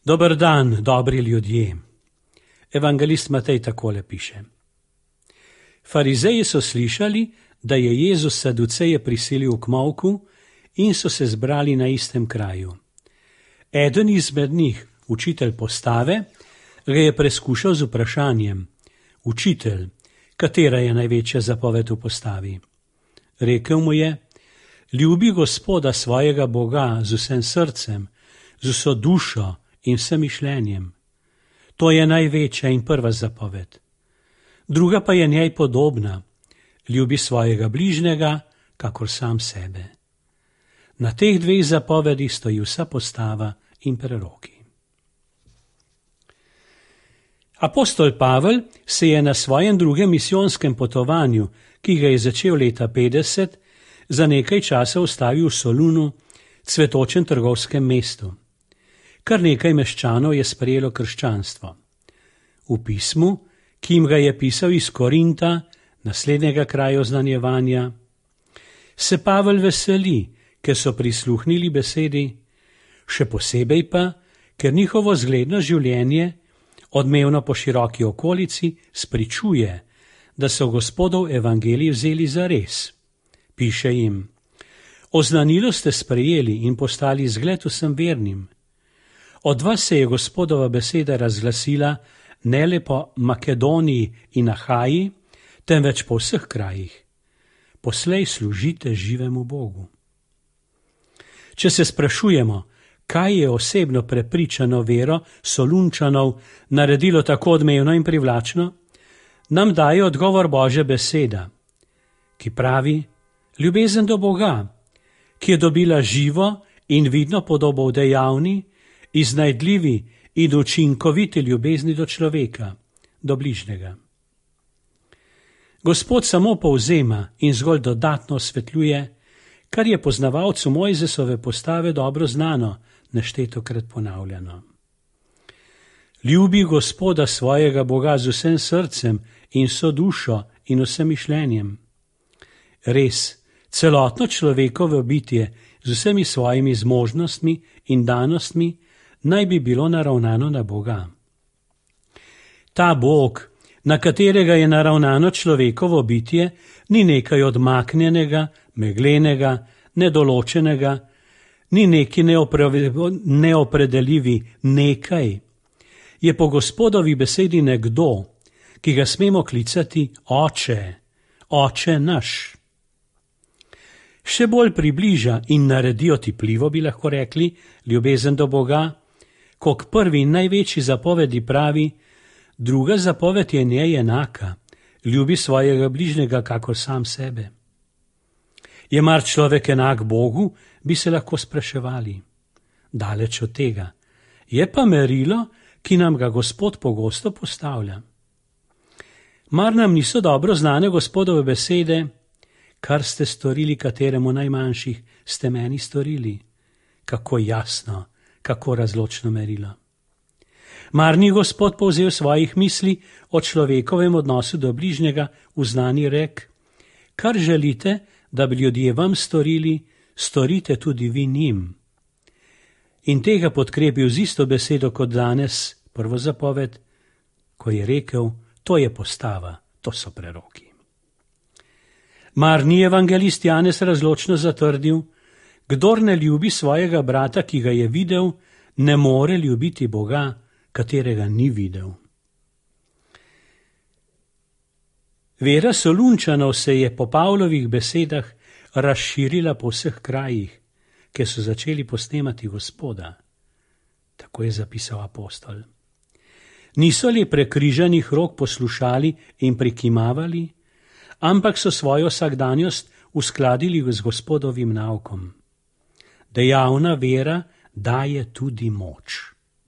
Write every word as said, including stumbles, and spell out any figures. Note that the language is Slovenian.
Dober dan, dobri ljudje. Evangelist Matej takole piše. Farizeji so slišali, da je Jezus Saduceje prisilil k molku in so se zbrali na istem kraju. Eden izmed njih, učitelj postave, ga je preskušal z vprašanjem: Učitelj, katera je največja zapoved v postavi? Rekel mu je: Ljubi Gospoda svojega Boga z vsem srcem, z vso dušo in vsem mišljenjem. To je največja in prva zapoved. Druga pa je njej podobna: ljubi svojega bližnjega, kakor sam sebe. Na teh dveh zapovedih stoji vsa postava in preroki. Apostol Pavel se je na svojem drugem misijonskem potovanju, ki ga je začel leta petdeset, za nekaj časa ustavil v Solunu, cvetočem trgovskem mestu. Kar nekaj meščanov je sprejelo krščanstvo. V pismu, ki jim ga je pisal iz Korinta, naslednjega kraja oznanjevanja, se Pavel veseli, ker so prisluhnili besedi, še posebej pa, ker njihovo zgledno življenje, odmevno po široki okolici, spričuje, da so Gospodov evangelij vzeli za res. Piše jim: Oznanilo ste sprejeli in postali zgled vsem vernim. Od vas se je Gospodova beseda razglasila ne le po Makedoniji in Ahaji, temveč po vseh krajih. Poslej služite živemu Bogu. Če se sprašujemo, kaj je osebno prepričano vero Solunčanov naredilo tako odmevno in privlačno, nam daje odgovor Božja beseda, ki pravi: ljubezen do Boga, ki je dobila živo in vidno podobo v dejavni, iznajdljivi in učinkoviti ljubezni do človeka, do bližnjega. Gospod samo povzema in zgolj dodatno osvetljuje, kar je poznavalcu Mojzesove postave dobro znano, neštetokrat ponavljano. Ljubi Gospoda svojega Boga z vsem srcem in vso dušo in vsem mišljenjem. Res, celotno človekovo bitje z vsemi svojimi zmožnostmi in danostmi naj bi bilo naravnano na Boga. Ta Bog, na katerega je naravnano človekovo bitje, ni nekaj odmaknjenega, meglenega, nedoločenega, ni neki neopredeljivi nekaj. Je po Gospodovi besedi nekdo, ki ga smemo klicati Oče, Oče naš. Še bolj približa in naredi otipljivo, bi lahko rekli, ljubezen do Boga, ko k prvi in največji zapovedi pravi: druga zapoved je njej enaka, ljubi svojega bližnjega kakor sam sebe. Je mar človek enak Bogu, bi se lahko spraševali. Daleč od tega. Je pa merilo, ki nam ga Gospod pogosto postavlja. Mar nam niso dobro znane Gospodove besede: kar ste storili kateremu najmanjših, ste meni storili. Kako jasno, kako razločno merilo. Mar ni Gospod povzel svojih misli o človekovem odnosu do bližnjega v znani rek: kar želite, da bi ljudje vam storili, storite tudi vi njim. In tega podkrepil z isto besedo kot danes, prvo zapoved, ko je rekel: to je postava, to so preroki. Mar ni evangelist Janez razločno zatrdil: kdor ne ljubi svojega brata, ki ga je videl, ne more ljubiti Boga, katerega ni videl. Vera Solunčanov se je po Pavlovih besedah razširila po vseh krajih, kjer so začeli posnemati Gospoda. Tako je zapisal apostol. Niso li prekrižanih rok poslušali in prikimavali, ampak so svojo vsakdanjost uskladili z Gospodovim naukom. Dejavna vera daje tudi moč.